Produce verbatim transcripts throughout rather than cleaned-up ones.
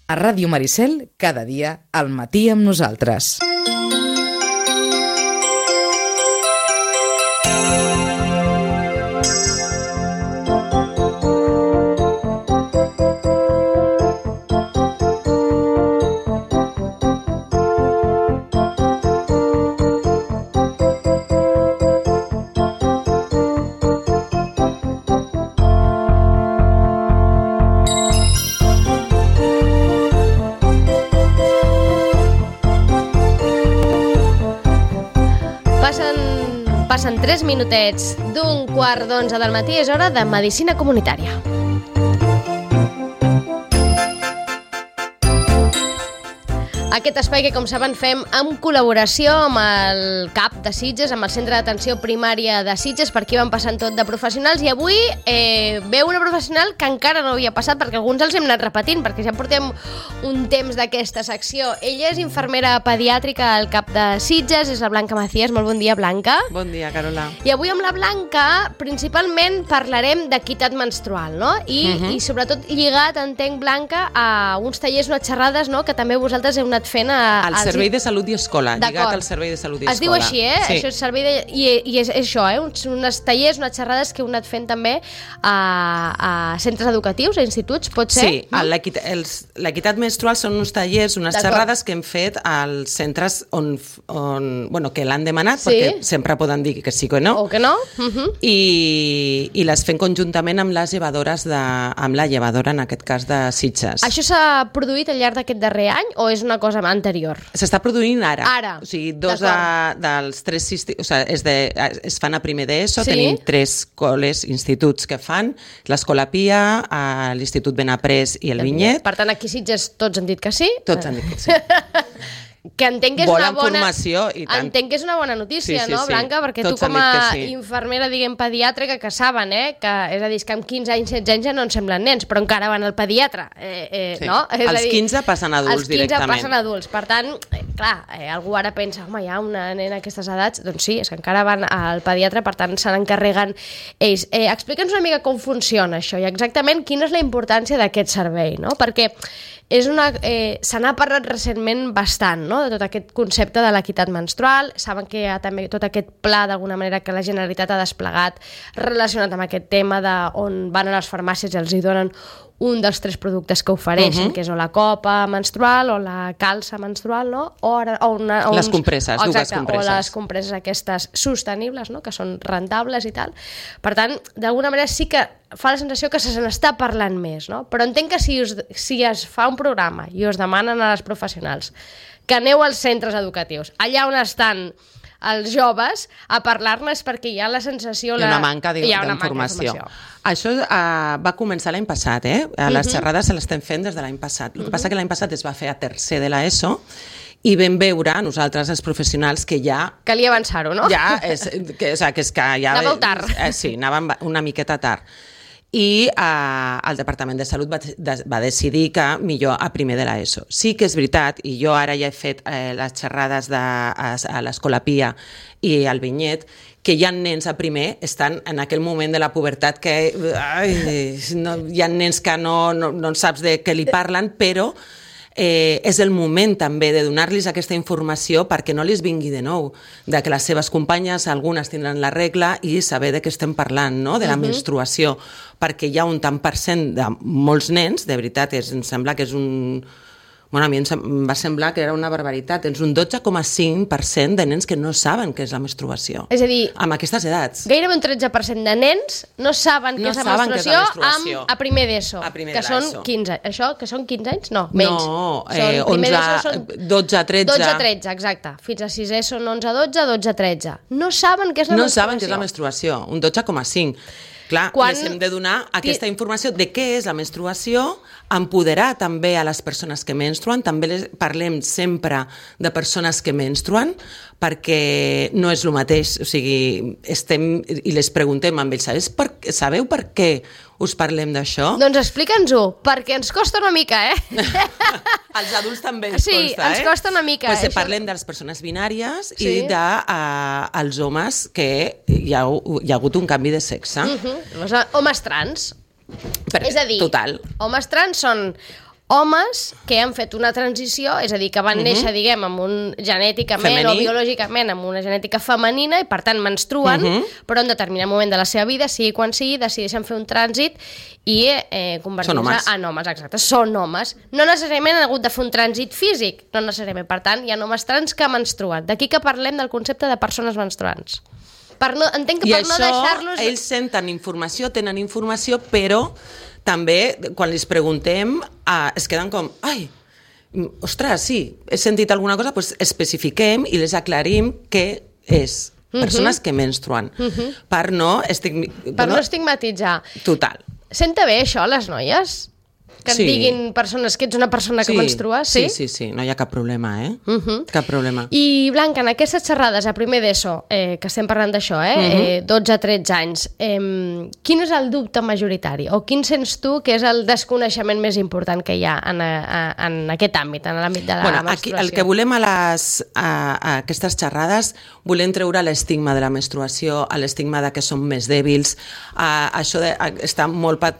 A Ràdio Maricel, cada dia, al matí amb nosaltres. Passen tres minutets d'un quart d'onze del matí, és hora de Medicina Comunitària. Aquest espai que, com saben, fem en col·laboració amb el C A P de Sitges, amb el Centre d'Atenció Primària de Sitges, per aquí van passant tot de professionals, i avui eh, veu una professional que encara no havia passat, perquè alguns els hem anat repetint, perquè ja portem un temps d'aquesta secció. Ella és infermera pediàtrica al C A P de Sitges, és la Blanca Macías. Molt bon dia, Blanca. Bon dia, Carola. I avui amb la Blanca principalment parlarem d'equitat menstrual, no? I, uh -huh. i sobretot lligat, entenc, Blanca, a uns tallers, unes xerrades, no?, que també vosaltres heu anat fent a... Al Servei de Salut i Escola, lligat al Servei de Salut i Escola. Es diu així, eh? Sí. Això és servei de... I, i és, és això, eh? Uns, unes tallers, unes xerrades que heu anat fent també a, a centres educatius, a instituts, pot ser? Sí, no? L'equitat menstrual són uns tallers, unes xerrades que hem fet als centres on, on bueno, que l'han demanat, sí, perquè sempre poden dir que sí o no. O que no. Uh -huh. I, i les fem conjuntament amb les llevadores, de, amb la llevadora, en aquest cas, de Sitges. Això s'ha produït al llarg d'aquest darrer any o és una cosa anterior? S'està produint ara. Ara. O sigui, dos de, dels tres... O sigui, és de, es fan a primer d'ESO, sí? Tenim tres col·les, instituts que fan, l'Escola Pia, l'Institut Benaprés i el Vinyet. Per tant, aquí Sitges tots han dit que sí? Tots han dit que sí. Que entenc que és una bona... formació i tant. Entenc que és una bona notícia, sí, sí, no, sí. Blanca? Perquè Tots tu com a sí. infermera, diguem, pediàtrica, que saben, eh? Que, és a dir, que amb quinze anys, setze anys ja no ens semblen nens, però encara van al pediatre, eh, eh, sí. no? És els a dir, quinze passen adults directament. Els quinze passen adults. Per tant, eh, clar, eh, algú ara pensa, home, hi ha una nena a aquestes edats? Doncs sí, és que encara van al pediatre, per tant, se n'encarreguen ells. Eh, Explica'ns una mica com funciona això i exactament quina és la importància d'aquest servei, no? Perquè és una, eh, se n'ha parlat recentment bastant, no?, de tot aquest concepte de l'equitat menstrual. Saben que hi ha també tot aquest pla, d'alguna manera, que la Generalitat ha desplegat relacionat amb aquest tema, de on van a les farmàcies i els hi donen un dels tres productes que ofereixen, uh -huh. que és o la copa menstrual o la calça menstrual, no? O, ara, o, una, o les uns, compresses, exacte, dues compresses. O les compresses aquestes sostenibles, no?, que són rentables i tal. Per tant, d'alguna manera sí que fa la sensació que se n'està parlant més, no? Però entenc que si, us, si es fa un programa i us demanen a les professionals que aneu als centres educatius, allà on estan els joves, a parlar-ne, és perquè hi ha la sensació... Hi ha una manca d'informació. Això uh, va començar l'any passat, eh? Les uh -huh. xerrades se l'estem fent des de l'any passat. El que uh -huh. passa que l'any passat es va fer a tercer de l'ESO i vam veure, nosaltres, els professionals, que ja... Calia avançar-ho, no? Ja, és, que, o sigui, que és que ja... Anàveu tard. Eh, sí, anàvem una miqueta tard. I eh, el Departament de Salut va, de, va decidir que millor a primer de l'ESO. Sí que és veritat, i jo ara ja he fet eh, les xerrades de, a, a l'Escola Pia i al Vinyet, que hi ha nens a primer, estan en aquell moment de la pubertat que ai, no, hi ha nens que no, no, no saps de què li parlen, però Eh, és el moment també de donar-los aquesta informació perquè no els vingui de nou, de que les seves companyes, algunes tindran la regla, i saber de què estem parlant, no?, de la uh-huh. menstruació, perquè hi ha un tant per cent de molts nens, de veritat, és, em sembla que és un... Bueno, a mi em va semblar que era una barbaritat. És un dotze coma cinc per cent de nens que no saben què és la menstruació. És a dir, amb aquestes edats. Gairebé un tretze per cent de nens no saben què és la menstruació, és la menstruació. Amb, a primer d'ESO, a primer que de són quinze. Això, que són quinze anys? No, menys. No, eh, onze, són dotze, tretze. dotze, tretze, exacte. Fins a sisè són onze, dotze, dotze, tretze. No saben què és la no menstruació. No saben què és la menstruació, un dotze coma cinc. Clar, Quan... les hem de donar aquesta informació de què és la menstruació, empoderar també a les persones que menstruen, també les parlem sempre de persones que menstruen, perquè no és el mateix, o sigui, estem i les preguntem amb ells, sabeu per, sabeu per què us parlem d'això? Doncs explica'ns-ho, perquè ens costa una mica, eh? Els adults també ens sí, costa, eh? Sí, ens costa una mica. Pues això... Parlem de les persones binàries sí. i dels uh, homes que hi ha, hi ha hagut un canvi de sexe. Uh-huh. Homes trans. Per, és a dir, total. Homes trans són homes que han fet una transició, és a dir, que van uh -huh. néixer, diguem, amb un genèticament Femení. o biològicament amb una genètica femenina i, per tant, menstruen, uh -huh. però en determinat moment de la seva vida, sigui quan sigui, decideixen fer un trànsit i eh, convertir-se en homes. Exacte, són homes. No necessàriament han hagut de fer un trànsit físic, no necessàriament. Per tant, hi ha homes trans que menstruen. D'aquí que parlem del concepte de persones menstruants. Per no, entenc que I per això, no deixar-los... ells senten informació, tenen informació, però també, quan els preguntem, eh, es queden com, ai, ostres, sí, he sentit alguna cosa, doncs especifiquem i les aclarim què és. Persones uh -huh. que menstruen. Uh -huh. Per no... Estigmi... Per bueno, no estigmatitzar. Total. Senta bé això, les noies? Que Sí. et diguin persones que ets una persona que menstrua? Sí, sí, sí, no hi ha cap problema, eh? Uh -huh. Cap problema. I, Blanca, en aquestes xerrades a primer d'ESO, eh, que estem parlant d'això, eh, uh -huh. eh, dotze a tretze anys, eh, quin és el dubte majoritari? O quin sents tu que és el desconeixement més important que hi ha en, a, a, en aquest àmbit, en l'àmbit de la bueno, menstruació? aquí, el que volem a, les, a, a aquestes xerrades, volem treure l'estigma de la menstruació, l'estigma de que som més dèbils, a, això de, a, està molt... Pat,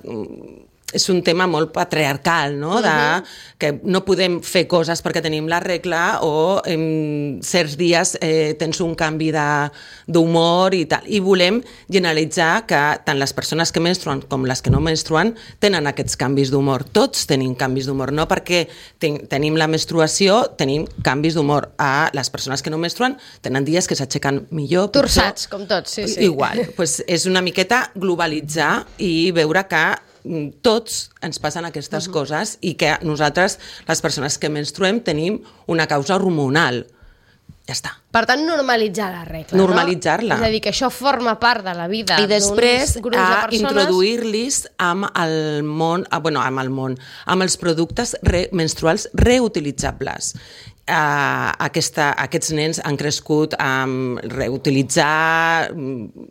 és un tema molt patriarcal, no? De, uh-huh. que no podem fer coses perquè tenim la regla o en certs dies eh, tens un canvi d'humor i tal. I volem generalitzar que tant les persones que menstruen com les que no menstruen tenen aquests canvis d'humor. Tots tenim canvis d'humor, no perquè ten, tenim la menstruació, tenim canvis d'humor. A les persones que no menstruen tenen dies que s'aixequen millor, pitjor. Torçats, com tots, sí, sí. Igual. Pues és una miqueta globalitzar i veure que tots ens passen aquestes uh-huh. coses i que nosaltres, les persones que menstruem, tenim una causa hormonal. Ja està. Per tant, normalitzar la regla, Normalitzar-la. no? És a dir, que això forma part de la vida I després grups de a persones. introduir-los amb el món, ah, bueno, amb el món, amb els productes re, menstruals reutilitzables. Uh, aquesta, aquests nens han crescut amb reutilitzar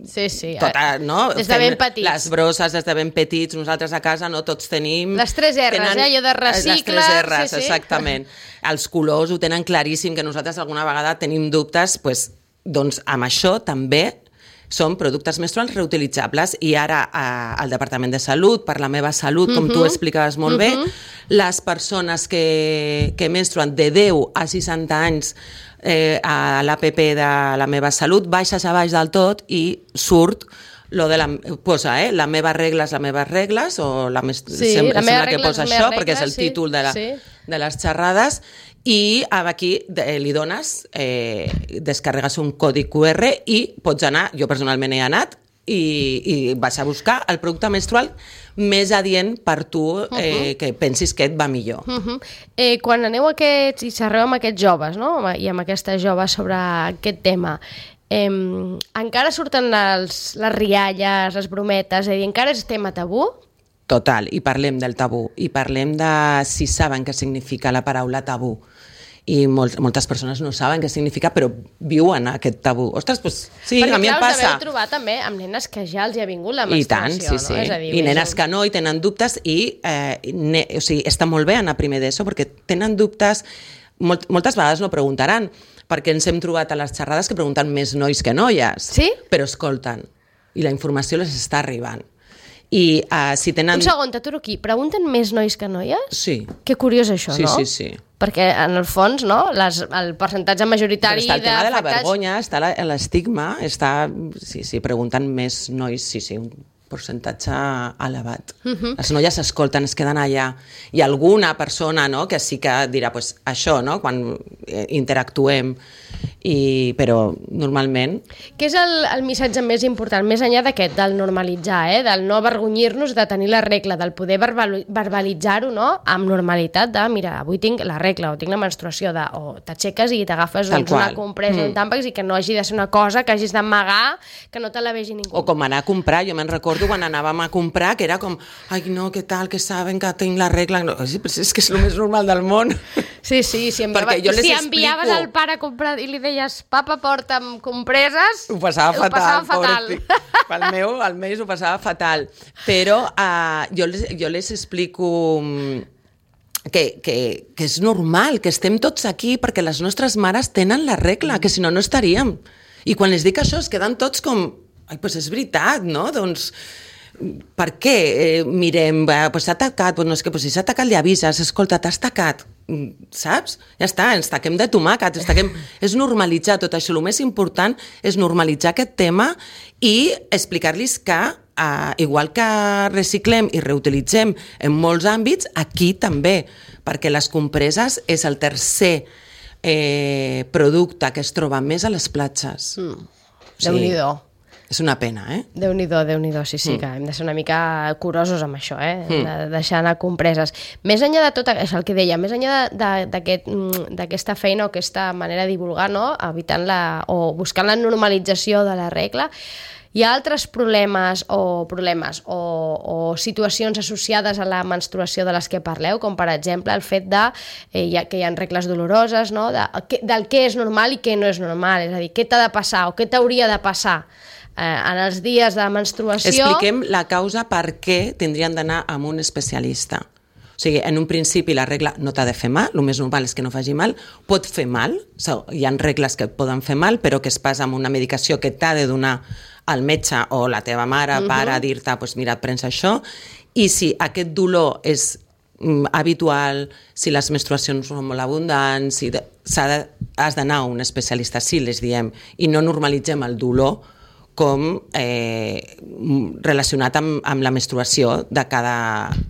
sí, sí. tota, no? Des de ben petits. Les brosses des de ben petits, nosaltres a casa no tots tenim... Les tres R's, tenen, eh? Allò de recicla... Les tres R's, sí, sí. exactament. Els colors ho tenen claríssim, que nosaltres alguna vegada tenim dubtes, pues, doncs amb això també són productes menstruals reutilitzables i ara eh, al Departament de Salut, per la meva salut, com uh-huh. tu explicaves molt uh-huh. bé, les persones que, que menstruen de deu a seixanta anys eh, a l'A P P de la meva salut, baixes a baix del tot i surt lo de la, posa, eh, la meva regla és la meves regles, o la més, sí, sembla, la meva sembla que regla posa és la això, meva perquè és regla, el sí, títol de, la, sí. de les xerrades, i aquí eh, li dones, eh, descarregues un codi Q R i pots anar, jo personalment he anat, i, i vas a buscar el producte menstrual més adient per tu, eh, uh-huh. que pensis que et va millor. Uh-huh. eh, quan aneu aquests i xerreu amb aquests joves, no? I amb aquestes joves sobre aquest tema, eh, encara surten els, les rialles, les brometes, és a dir, encara és tema tabú? Total, i parlem del tabú, i parlem de si saben què significa la paraula tabú. I molt, moltes persones no saben què significa, però viuen aquest tabú. Ostres, doncs sí, perquè, a mi clar, em passa. Perquè us deveu trobar també amb nenes que ja els hi ha vingut la I tant, menstruació, sí, sí. no? És a dir, I nenes gent... que no, i tenen dubtes, i eh, ne, o sigui, està molt bé anar primer d'ESO, perquè tenen dubtes, molt, moltes vegades no preguntaran, perquè ens hem trobat a les xerrades que pregunten més nois que noies. Sí? Però escolten, i la informació les està arribant. I uh, si tenen... Un segon, t'aturo aquí. Pregunten més nois que noies? Sí. Que curiós això, sí, no? Sí, sí, sí. Perquè, en el fons, no, les, el percentatge majoritari... Però està el tema de la afectats... vergonya, està l'estigma, està... Sí, sí, pregunten més nois, sí, sí, un percentatge elevat. Uh-huh. Les noies s'escolten, es queden allà. I alguna persona, no?, que sí que dirà, pues, això, no?, quan interactuem, i, però normalment... Què és el, el missatge més important, més enllà d'aquest, del normalitzar, eh? Del no avergonyir-nos de tenir la regla, del poder verbal, verbalitzar-ho, no?, amb normalitat de, mira, avui tinc la regla o tinc la menstruació, de, o t'aixeques i t'agafes doncs, una compresa, mm. un tàmpax, i que no hagi de ser una cosa que hagis d'amagar, que no te la vegi ningú. O com anar a comprar, jo me'n recordo quan anàvem a comprar, que era com, ai no, què tal, que saben que tinc la regla, no, és que és el més normal del món. Sí, sí, si, enviava, si enviaves al pare a comprar i li deies, papa, porta'm compreses, ho passava ho fatal, passava fatal. Pel meu, almenys ho passava fatal. Però uh, jo, les, jo les explico que, que, que és normal, que estem tots aquí perquè les nostres mares tenen la regla, que si no, no estaríem. I quan les dic això es queden tots com, ai, doncs és veritat, no? Doncs per què eh, mirem, eh, pues s'ha tacat, pues no és que pues si s'ha tacat li avises, escolta, t'has tacat, saps? Ja està, ens taquem de tomàquet, ens taquem... és normalitzar tot això, el més important és normalitzar aquest tema i explicar-los que Uh, igual que reciclem i reutilitzem en molts àmbits, aquí també, perquè les compreses és el tercer eh, producte que es troba més a les platges. Mm. Sí. Déu-n'hi-do. És una pena, eh? Déu-n'hi-do, Déu-n'hi-do, sí, sí, mm. que hem de ser una mica curosos amb això, eh? Mm. De deixar anar compreses. Més enllà de tot això, el que deia, més enllà d'aquesta aquest, feina o aquesta manera de divulgar, no? Evitant la, o buscant la normalització de la regla, hi ha altres problemes o problemes o, o situacions associades a la menstruació de les que parleu, com per exemple el fet de, eh, ja, que hi ha regles doloroses, no? de, que, del què és normal i què no és normal, és a dir, què t'ha de passar o què t'hauria de passar eh, en els dies de menstruació. Expliquem la causa per què tindrien d'anar amb un especialista. O sigui, en un principi la regla no t'ha de fer mal, el més normal és que no faci mal, pot fer mal, hi ha regles que poden fer mal, però que es passa amb una medicació que t'ha de donar al metge o la teva mare, uh-huh. pare, dir-te, pues mira, et prens això, i si aquest dolor és mm, habitual, si les menstruacions són molt abundants, si de, de, has d'anar a un especialista, sí, les diem, i no normalitzem el dolor com eh, relacionat amb, amb la menstruació de cada,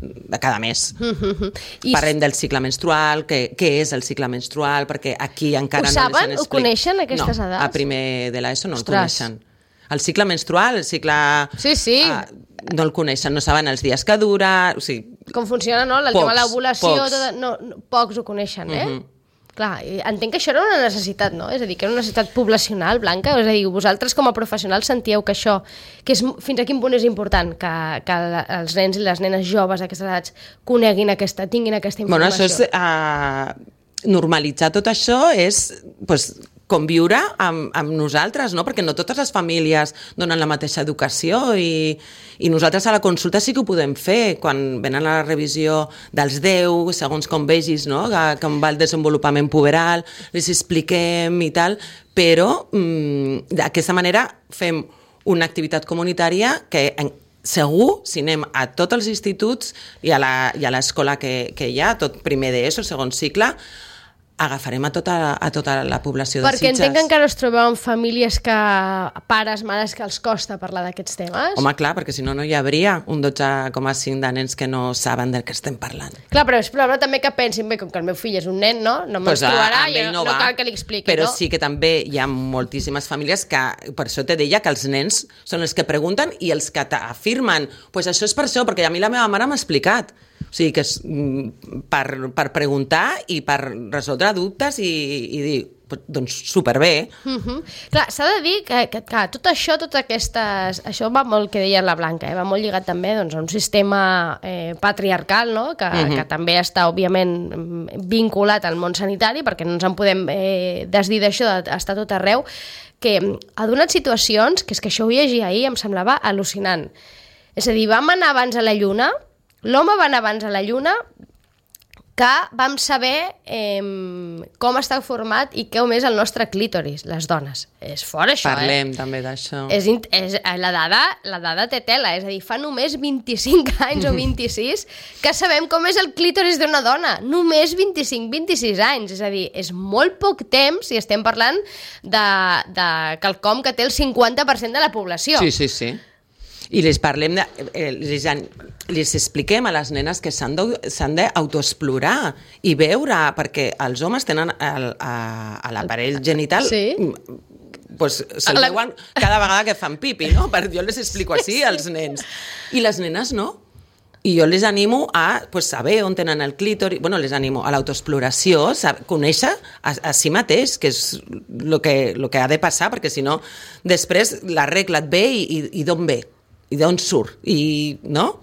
de cada mes. Uh-huh. I parlem del cicle menstrual, què, què és el cicle menstrual, perquè aquí encara ho no saben? les Ho coneixen, aquestes no, edats? A primer de l'ESO no Ostres. el coneixen. El cicle menstrual, el cicle... Sí, sí. Uh, no el coneixen, no saben els dies que dura... O sigui, com funciona, no? El pocs, tema de l'ovulació, pocs. Tot, no, no, pocs ho coneixen, eh? Uh-huh. Clar, entenc que això era una necessitat, no? És a dir, que era una necessitat poblacional, Blanca, és a dir, vosaltres com a professionals sentíeu que això, que és, fins a quin punt és important que, que els nens i les nenes joves a aquestes edats coneguin aquesta, tinguin aquesta informació? Bueno, això és... Uh, normalitzar tot això és... Pues, conviure amb, amb nosaltres, no? Perquè no totes les famílies donen la mateixa educació i, i nosaltres a la consulta sí que ho podem fer, quan venen a la revisió dels deu, segons com vegis, no? Que, com va el desenvolupament puberal, les expliquem i tal, però mm, d'aquesta manera fem una activitat comunitària que en, segur, si anem a tots els instituts i a l'escola que, que hi ha, tot primer d'ESO, segon cicle, agafarem a tota, a tota la població de Perquè Sitges. Perquè entenc que encara us trobeu amb famílies que, pares, mares, que els costa parlar d'aquests temes. Home, clar, perquè si no, no hi hauria un dotze coma cinc de nens que no saben del que estem parlant. Clar, però és probable també que pensin, bé, com que el meu fill és un nen, no? No pues menstruarà, i no, no, no cal que li expliqui, però no? sí que també hi ha moltíssimes famílies que, per això te deia que els nens són els que pregunten i els que t'afirmen, pues això és per això, perquè a mi la meva mare m'ha explicat. O sigui, que és per, per preguntar i per resoldre dubtes i, i dir, doncs superbé. Uh-huh. Clar, s'ha de dir que, que, que tot això, totes aquestes... Això va molt, que deia la Blanca, eh? Va molt lligat també doncs, a un sistema eh, patriarcal, no? Que, uh-huh. que també està, òbviament, vinculat al món sanitari, perquè no ens en podem eh, desdir d'això, d'estar tot arreu, que ha donat situacions, que és que això ho llegia ahir, em semblava al·lucinant. És a dir, vam anar abans a la Lluna, l'home va anar abans a la Lluna, que vam saber eh, com està format i com és el nostre clítoris, les dones. És fort, això, Parlem, eh? també d'això. És, és, la, dada, la dada té tela, és a dir, fa només vint-i-cinc anys o vint-i-sis que sabem com és el clítoris d'una dona. Només vint-i-cinc vint-i-sis anys. És a dir, és molt poc temps si estem parlant de, de quelcom que té el cinquanta per cent de la població. Sí, sí, sí. I les parlem, de, eh, les, les expliquem a les nenes que s'han d'autoexplorar i veure, perquè els homes tenen el, a, a l'aparell genital... Sí. Pues, se'l la... veuen cada vegada que fan pipi, no? Per, jo les explico així als nens. I les nenes no. I jo les animo a pues, saber on tenen el clítoris, bueno, les animo a l'autoexploració, conèixer a, a si mateix, que és el que, lo que ha de passar, perquè si no, després la regla et ve i, i, i d'on ve? I d'on surt, i, no?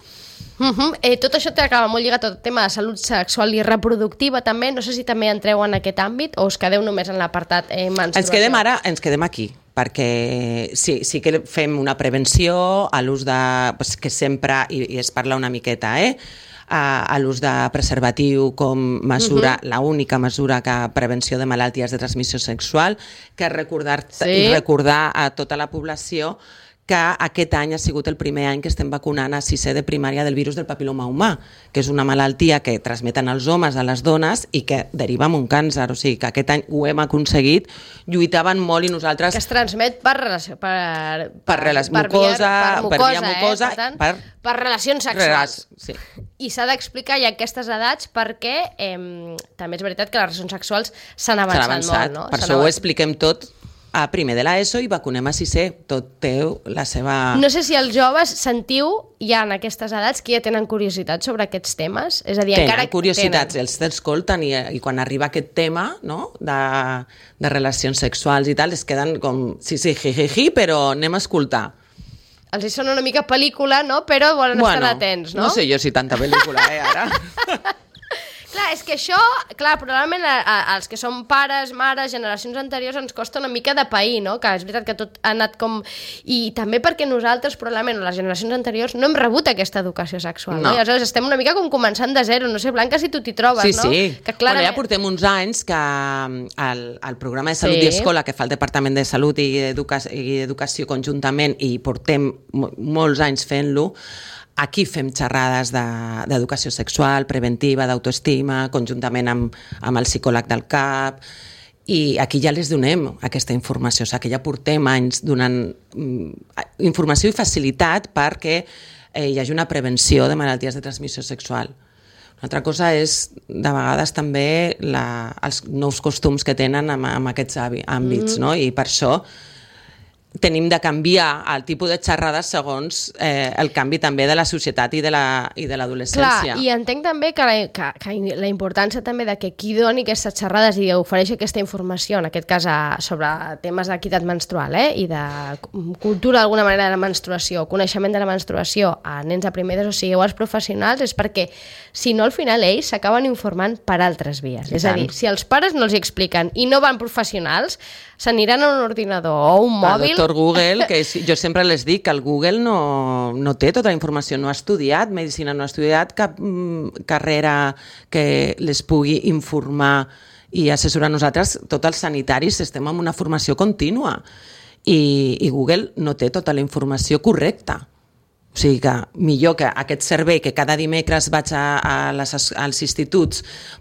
Uh-huh. eh, tot això t'acaba molt lligat al tema de salut sexual i reproductiva també, no sé si també entreu en aquest àmbit o us quedeu només en l'apartat eh, menstruació. Ens quedem ara, ens quedem aquí, perquè sí, sí que fem una prevenció a l'ús de, pues, que sempre, i, i es parla una miqueta, eh? a, a l'ús de preservatiu com mesura, uh-huh. la única mesura que prevenció de malalties de transmissió sexual, que recordar, sí. recordar a tota la població que aquest any ha sigut el primer any que estem vacunant a sisè de primària del virus del papiloma humà, que és una malaltia que transmeten els homes a les dones i que deriva en un càncer. O sigui, que aquest any ho hem aconseguit, lluitaven molt i nosaltres... Que es transmet per relació... Per, per, per, per mucosa, per, per via mucosa, eh? per, tant, per, per relacions sexuals. Sí. I s'ha d'explicar ja aquestes edats perquè eh, també és veritat que les relacions sexuals s'han avançat, avançat molt. No? Per això ho expliquem tot a primer de l'ESO i vacunem a sisè. Tot té la seva... No sé si els joves sentiu ja en aquestes edats que ja tenen curiositat sobre aquests temes. És a dir, tenen encara curiositats, tenen. Els t'escolten i, i quan arriba aquest tema, no?, de, de relacions sexuals i tal, es queden com, sí, sí, jijiji, però anem a escoltar. Els hi sona una mica pel·lícula, no?, però volen bueno, estar atents, no? No sé jo si tanta pel·lícula, eh, ara... Clar, és que això, clar, probablement a, a, als que som pares, mares, generacions anteriors ens costa una mica de pair, no? Que és veritat que tot ha anat com... I també perquè nosaltres, probablement, les generacions anteriors, no hem rebut aquesta educació sexual, no? no? I aleshores estem una mica com començant de zero. No sé, Blanca, si tu t'hi trobes, sí, no? Sí, sí. Que clarament... Bueno, ja portem uns anys que el, el programa de Salut sí. i Escola que fa el Departament de Salut i, Educa i Educació conjuntament, i portem molts anys fent-lo. Aquí fem xerrades d'educació de, sexual, preventiva, d'autoestima, conjuntament amb, amb el psicòleg del C A P, i aquí ja les donem aquesta informació, o sigui que ja portem anys donant informació i facilitat perquè eh, hi hagi una prevenció de malalties de transmissió sexual. Una altra cosa és, de vegades, també la, els nous costums que tenen en, en aquests àmbits, mm. no? I per això tenim de canviar el tipus de xerrades segons eh, el canvi també de la societat i de l'adolescència. Clar, i entenc també que la, que, que la importància també de que qui doni aquestes xerrades i ofereix aquesta informació, en aquest cas a, sobre temes d'equitat menstrual eh, i de cultura d'alguna manera de la menstruació, coneixement de la menstruació a nens de primer d'ESO, o sigui, o als professionals, és perquè si no al final ells s'acaben informant per altres vies. I és tant. A dir, si els pares no els hi expliquen i no van professionals, s'aniran a un ordinador o un mòbil... El doctor Google, que és, jo sempre les dic que el Google no, no té tota la informació, no ha estudiat medicina, no ha estudiat cap mm, carrera que les pugui informar i assessorar. Nosaltres, tots els sanitaris, estem en una formació contínua i, i Google no té tota la informació correcta. O sigui que millor que aquest servei que cada dimecres vaig a, a les, als instituts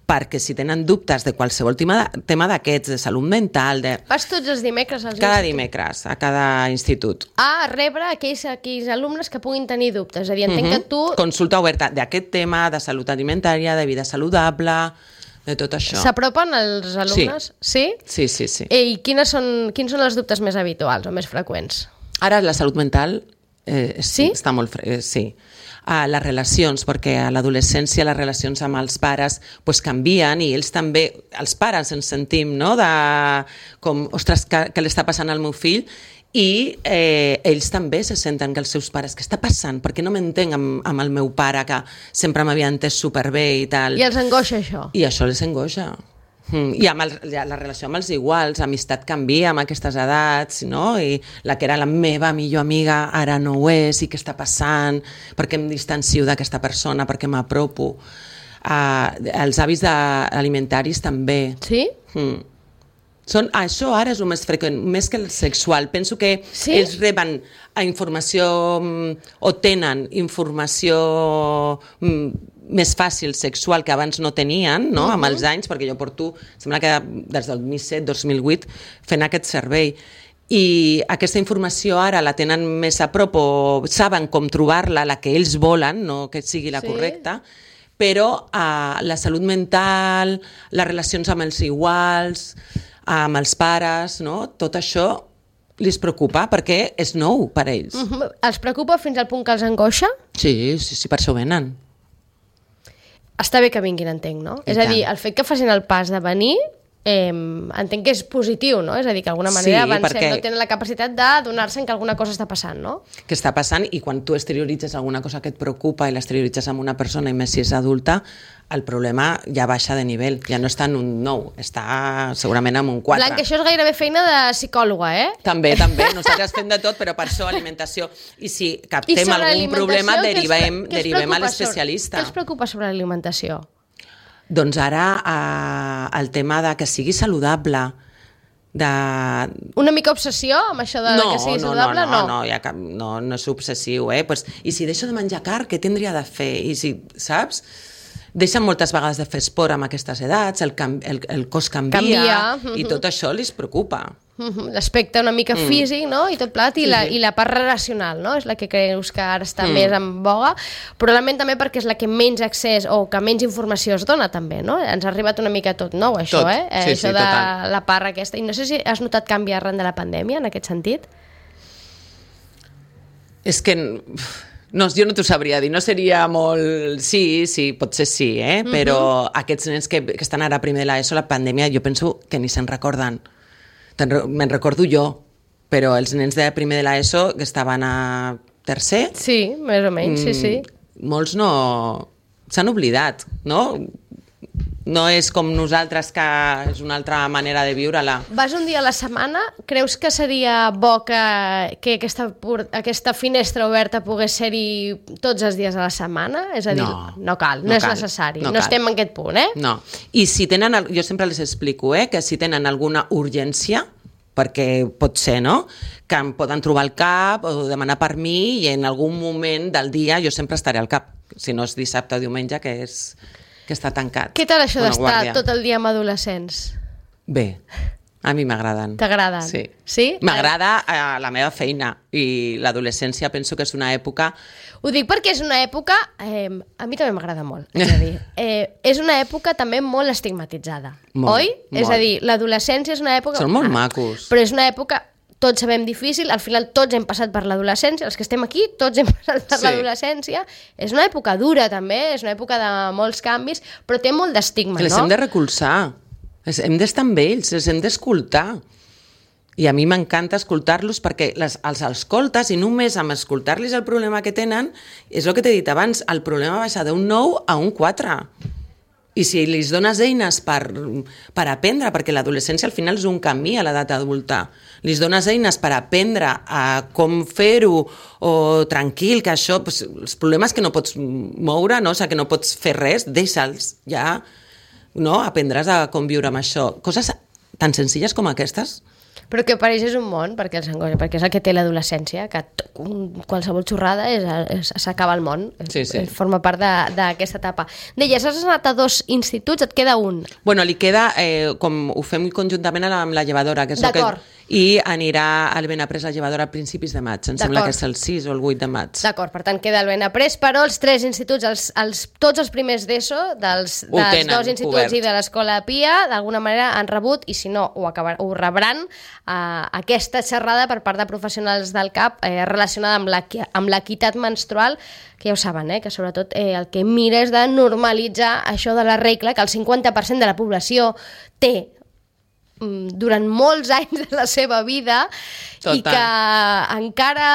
perquè si tenen dubtes de qualsevol tema, tema d'aquests, de salut mental... De... Vas tots els dimecres als Cada instituts? dimecres, a cada institut. A rebre aquells, aquells alumnes que puguin tenir dubtes. És a dir, entenc uh-huh. que tu... Consulta oberta d'aquest tema, de salut alimentària, de vida saludable, de tot això. S'apropen els alumnes? Sí. Sí? Sí, sí, sí. I quines són, quins són els dubtes més habituals o més freqüents? Ara la salut mental... Eh, sí? Està molt fre... eh, sí. Uh, les relacions, perquè a l'adolescència les relacions amb els pares pues, canvien i ells també, els pares ens sentim, no?, de com, ostres, què, què li està passant al meu fill, i eh, ells també se senten que els seus pares, què està passant? Per què no m'entenc amb, amb el meu pare que sempre m'havia entès superbé i tal? I els angoixa això? I això els angoixa. Mm, i amb el, la relació amb els iguals, amistat canvia amb aquestes edats, no? I la que era la meva millor amiga ara no ho és, i què està passant, per què em distancio d'aquesta persona, per què m'apropo. Uh, els hàbits alimentaris també. Sí? Mm. Són, això ara és el més freqüent, més que el sexual. Penso que sí? ells reben informació o tenen informació més fàcil sexual que abans no tenien, no? Uh-huh. Amb els anys, perquè jo porto, sembla que des del dos mil set dos mil vuit fent aquest servei. I aquesta informació ara la tenen més a prop o saben com trobar-la, la que ells volen, no que sigui la sí. correcta, però uh, la salut mental, les relacions amb els iguals, amb els pares, no? Tot això els preocupa perquè és nou per ells. Uh-huh. Els preocupa fins al punt que els angoixa? Sí, sí, sí, per això venen. Està bé que vinguin, entenc, no? I és tant. A dir, el fet que facin el pas de venir, eh, entenc que és positiu, no? És a dir, que d'alguna manera sí, avancem, perquè... no tenen la capacitat de donar-se que alguna cosa està passant, no? Que està passant, i quan tu exterioritzes alguna cosa que et preocupa i l'exterioritzes amb una persona, i més si és adulta, el problema ja baixa de nivell, ja no està en un nou, està segurament en un quatre. Blanca, això és gairebé feina de psicòloga, eh? També, també, nosaltres fem de tot, però per això alimentació. I si captem I algun problema, derivem, què derivem a l'especialista. Què els preocupa sobre l'alimentació? Doncs ara eh, el tema de que sigui saludable, de... Una mica obsessió amb això de no, que sigui no, saludable? No, no, no, no, ja cap, no, no és obsessiu, eh? Pues, I si deixo de menjar carn, què tindria de fer? I si, saps? Deixen moltes vegades de fer esport amb aquestes edats, el, cam el, el cos canvia, Canvia. i tot això li preocupa. L'aspecte una mica mm. físic, no? I tot plat, i, sí, la, sí. i la part relacional, no? És la que creus que ara està mm. més en boga, probablement també perquè és la que menys accés o que menys informació es dona també, no? Ens ha arribat una mica tot nou, això, tot. eh? Sí, això sí, de total. la part aquesta. I no sé si has notat canvi arran de la pandèmia, en aquest sentit? És que... No, jo no t'ho sabria dir, no seria molt... Sí, sí, potser sí, eh? Mm-hmm. Però aquests nens que, que estan ara primer de l'ESO, la pandèmia, jo penso que ni se'n recorden. Me'n recordo jo, però els nens de primer de l'ESO que estaven a tercer... Sí, més o menys, sí, sí. Molts no... s'han oblidat, no? No és com nosaltres, que és una altra manera de viure-la. Vas un dia a la setmana? Creus que seria bo que, que aquesta, aquesta finestra oberta pogués ser-hi tots els dies a la setmana? És a dir, no, no cal, no, no és cal, necessari. No, no estem en aquest punt, eh? No. I si tenen, jo sempre les explico, eh, que si tenen alguna urgència, perquè pot ser, no?, que em poden trobar al cap o demanar per mi, i en algun moment del dia jo sempre estaré al cap, si no és dissabte o diumenge, que és... que està tancat. Què tal això d'estar tot el dia amb adolescents? Bé, a mi m'agraden. T'agraden? Sí. Sí? M'agrada a la meva feina, i l'adolescència penso que és una època... Ho dic perquè és una època... Eh, a mi també m'agrada molt, és a dir. Eh, és una època també molt estigmatitzada, molt, oi? Molt. És a dir, l'adolescència és una època... Són molt ah, macos. Però és una època... Tots sabem difícil, al final tots hem passat per l'adolescència, els que estem aquí, tots hem passat per sí. l'adolescència. És una època dura, també, és una època de molts canvis, però té molt d'estigma, no? Les hem de recolzar, hem d'estar amb ells, les hem d'escoltar. I a mi m'encanta escoltar-los perquè les, els escoltes, i només amb escoltar-los el problema que tenen, és el que t'he dit abans, el problema baixa d'un nou a un quatre. I si li dones eines per, per aprendre, perquè l'adolescència al final és un camí a l'edat adulta, li dones eines per aprendre a com fer-ho, o tranquil, que això, pues, els problemes que no pots moure, no? O sigui, que no pots fer res, deixa'ls, ja, no? Aprendràs a conviure amb això. Coses tan senzilles com aquestes. Però que pareix és un món, perquè els angoixa, perquè és el que té l'adolescència, que qualsevol xorrada és, és, s'acaba el món, sí, sí. Forma part d'aquesta etapa. Deies, has anat a dos instituts, et queda un. Bueno, li queda, eh, com ho fem conjuntament amb la llevadora, que és el que... I anirà al Benaprés la llevadora a principis de maig, em sembla que és el sis o el vuit de maig. D'acord, per tant queda el Benaprés, però els tres instituts, els, els, tots els primers d'ESO, dels, dels tenen, dos instituts obert. I de l'Escola Pia, d'alguna manera han rebut, i si no, ho, acabar, ho rebran, eh, aquesta xerrada per part de professionals del C A P eh, relacionada amb l'equitat menstrual, que ja ho saben, eh, que sobretot eh, el que mira és de normalitzar això de la regla, que el cinquanta per cent de la població té durant molts anys de la seva vida. Total. I que encara,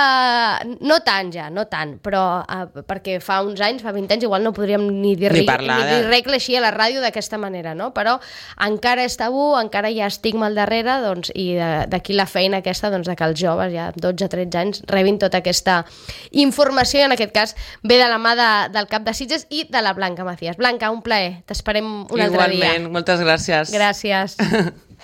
no tant ja, no tant, però eh, perquè fa uns anys, fa vint anys, igual no podríem ni dir, ni parlar, ni dir regla així a la ràdio d'aquesta manera, no? Però encara és tabú, encara hi ha estigma al darrere, doncs, i d'aquí la feina aquesta, doncs, de que els joves, ja dotze tretze anys, rebin tota aquesta informació, i en aquest cas ve de la mà de, del cap de Sitges i de la Blanca Macías. Blanca, un plaer, t'esperem un altre dia. Igualment, moltes gràcies. Gràcies.